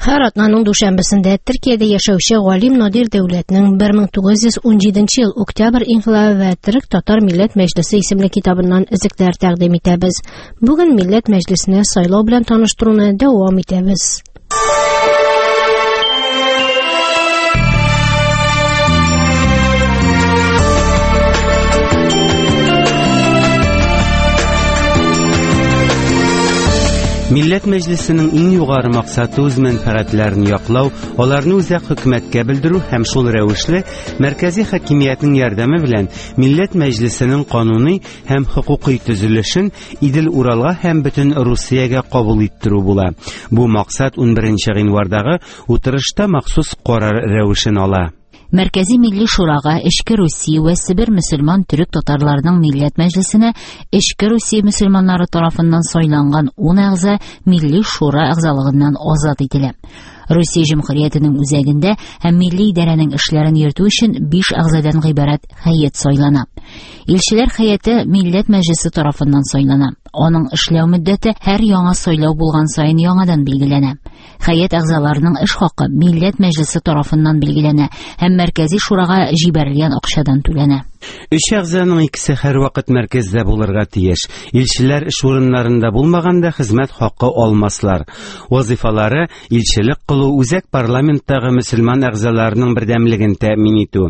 Һәр атнаның дүшәмбесендә Төркиядә яшәүче галим Надир Дәүләтнең 1917 ел октябрь инкыйлабы вә Төрек-татар милләт мәҗлесе исемле китабыннан өзекләр тәкъдим итәбез. Бүген Милләт мәҗлесенә сайлау белән таныштыруны дәвам итәбез. Милләт Мәҗлесенең иң югары максаты үз мәнфәгатьләрен яклау, аларны үзәк хөкүмәткә белдерү һәм шул рәвешле мәркәзи хакимиятнең ярдәме белән Милләт Мәҗлесенең кануни һәм хокукый төзелешен Идел-Уралга һәм бөтен Русиягә кабул иттерү була. Бу максат 11 гыйнвардагы утырышта махсус карар рәвешен ала. Мәркәзи Милли Шурага, Эчке Русия вә Себер мөселман төрек-татарларының Милләт Мәҗлесенә Эчке Русия мөселманнары тарафыннан сайланган 10 әгъза Милли Шура әгъзалыгыннан азат ителә. Русия Җөмһүриятенең үзәгендә һәм милли идарәнең эшләрен йөртү өчен 5 әгъзадан гыйбарәт һәйәт сайлана. Илчеләр һәйәте Милләт Мәҗлесе тарафыннан сайлана. Аның эшләү мөддәте һәр яңа сайлау булган саен яңадан билгеләнә. Һәйәт әгъзаларының эш хакы Милләт Мәҗлесе тарафыннан билгеләнә һәм Мәркәзи Шурага җибәрелгән акчадан түләнә. Өч әгъзаның икесе һәрвакыт мәркәздә булырга тиеш. Илчеләр эш урыннарында булмаганда хезмәт хакы алмаслар. Вазифалары илчелек кылу, үзәк парламенттагы мөселман әгъзаларының бердәмлеген тәэмин итү.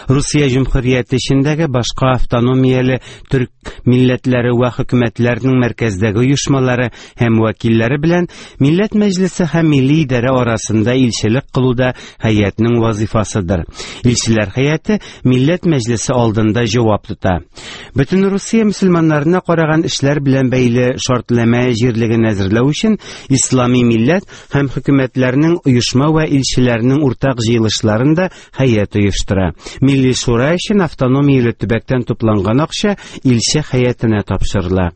Русия Җөмһүрияте эчендәге башка автономияле төрк милләтләре вә хөкүмәтләренең мәркәздәге оешмалары һәм вәкилләре белән Милләт Мәҗлесе һәм Милли идарә арасында илчелек кылу да һәйәтнең вазифасыдыр. Илчеләр һәйәте Милләт Мәҗлесе алдында җавап тота. Бөтен Русия мөселманнарына караган эшләр белән бәйле шартлама җирлеген әзерләү өчен Ислами милләт һәм хөкүмәтләрнең оешма вә илчеләрнең уртак җыелышларын да һәйәт оештыра. Милли шура өчен автономияле төбәктән тупланган акча илче һәйәтенә тапшырыла.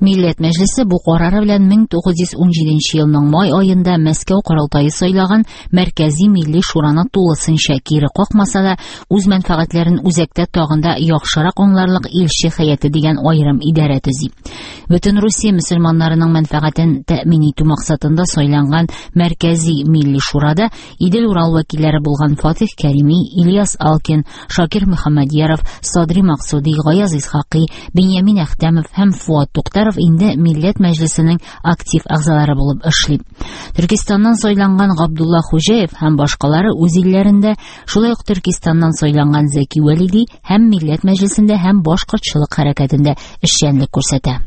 Милләт Мәҗлесе бу карары белән 1917 елның май аенда Мәскәү корылтае сайлаган Мәркәзи Милли Шураны тулысынча кире какмаса да, үз мәнфәгатьләрен үзәктә тагын да яхшырак аңларлык илче һәйәте дигән аерым идарә төзи. Бөтен Русия мөселманнарының мәнфәгатен тәэмин итү максатында сайланган Мәркәзи Милли Шурада Идел-Урал вәкилләре булган Фатих Кәрими, Ильяс Алкин, Шакир Мөхәммәдьяров, Садри Максуди, Гаяз Исхакый, Беньямин Әхтәмов һәм Фуат Туктаров инде Милләт Мәҗлесенең актив әгъзалары булып эшли. Төркистаннан сайланган Габдулла Хуҗаев һәм башкалары үз илләрендә, шулай ук Төркистаннан сайланган Зәки Вәлиди һәм Милләт Мәҗлесендә һәм башкортчылык хәрәкәтендә эшчәнлек күрсәтә.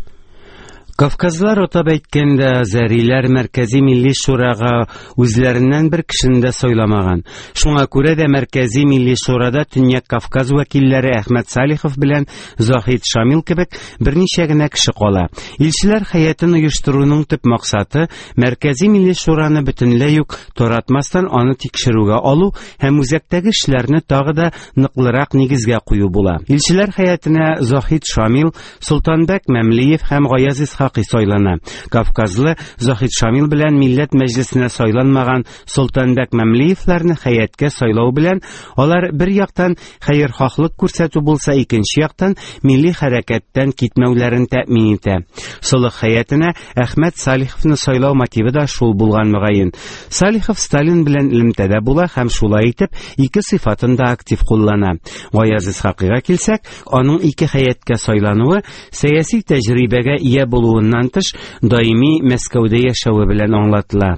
Кавказлар атап әйткәндә, азәриләр Мәркәзи Милли Шурага үзләреннән бер кешене дә сайламаган. Шуңа күрә дә Мәркәзи Милли Шурада Төньяк Кавказ вәкилләре Әхмәт Салихов белән Заһид Шамил кебек берничә генә кеше кала. Илчеләр һәйәтен оештыруның төп максаты Мәркәзи Милли Шураны бөтенләй үк таратмастан аны тикшерүгә алу һәм үзәктәге эшләрне тагы да ныклырак нигезгә кую була. Илчеләр һәйәтенә Заһид Шамил, Солтанбәк Мәмлиев һәм Гаяз Исхакый сайлана. Кавказлы Заһид Шамил белән Милләт Мәҗлесенә сайланмаган Солтанбәк Мәмлиевләрне хәяткә сайлау белән алар бер яктан хәерхаһлык күрсәтү булса, икенче яктан милли хәрәкәттән китмәүләрен тәэмин итә. Солых хәятенә Әхмәт Салиховны сайлау мотивы да шул булган мөгаен. Салихов Сталин белән элемтәдә була һәм шулай итеп ике сыйфатын да актив куллана. Гаяз Исхакыйга килсәк, аның ике хәяткә сайлануы сәяси тәҗрибәгә ия булуыннан тыш, даими Мәскәүдә яшәве белән аңлатыла.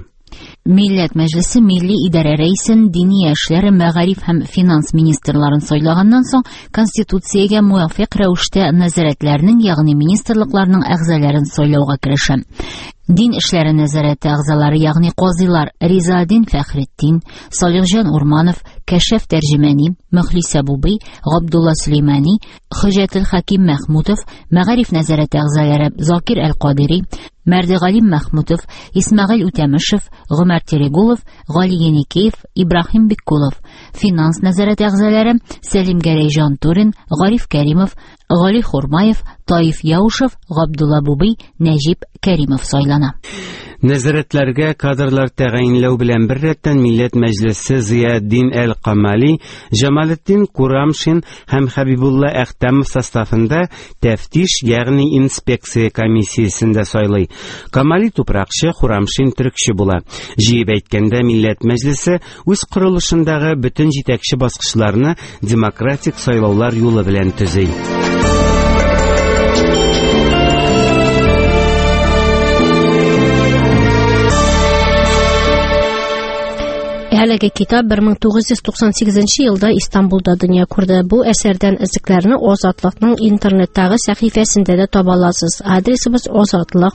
Милләт Мәҗлесе Милли идарә рәисен, Диния эшләре, мәгариф һәм финанс министрларын сайлаганнан соң, Конституциягә муафыйк рәвештә нәзарәтләрнең, ягъни министрлыкларның әгъзаларын сайлауга керешә. Дин эшләре нәзарәте әгъзалары, ягъни казыйлар Ризаэддин Фәхретдин, Салихҗан Урманов, Кәшәф Тәрҗемәни, Мөхлисә Бубый, Габдулла Сөләймани, Хөҗәтел Хәким Мәхмүтов, Мәгариф нәзарәте әгъзалары Закир Әл-Кадири, Мәрдегалим Мәхмүтов, Исмәгыйль Үтәмешев, Гомәр Терегулов, Гали Еникеев, Ибраһим Биккулов, финанс нәзарәте әгъзалары Сәлим Гәрәй Җантурин, Гариф Кәримов, Гали Хурмаев, Таиф Яушев, Габдулла Бубый, Нәҗип Кәримов сайлана. Нәзарәтләргә кадрлар тәгаенләү белән беррәттән Милләт Мәҗлесе Зыятдин әл-Камали, Җамалетдин Курамшин һәм Хәбибулла Әхтәмов составында тәфтиш, ягъни инспекция комиссиясен дә сайлый. Камали тупракчы, Хурамшин төрекче була. Җыеп әйткәндә, Милләт Мәҗлесе үз корылышындагы бөтен җитәкче баскычларны демократик сайлаулар юлы белән төзи. Әлеге китап 1998 елда Истанбулда дөнья күрде. Бу әсәрдән өзекләрне Азатлыкның интернеттагы сәхифәсендә дә таба аласыз. Адресыбыз азатлык.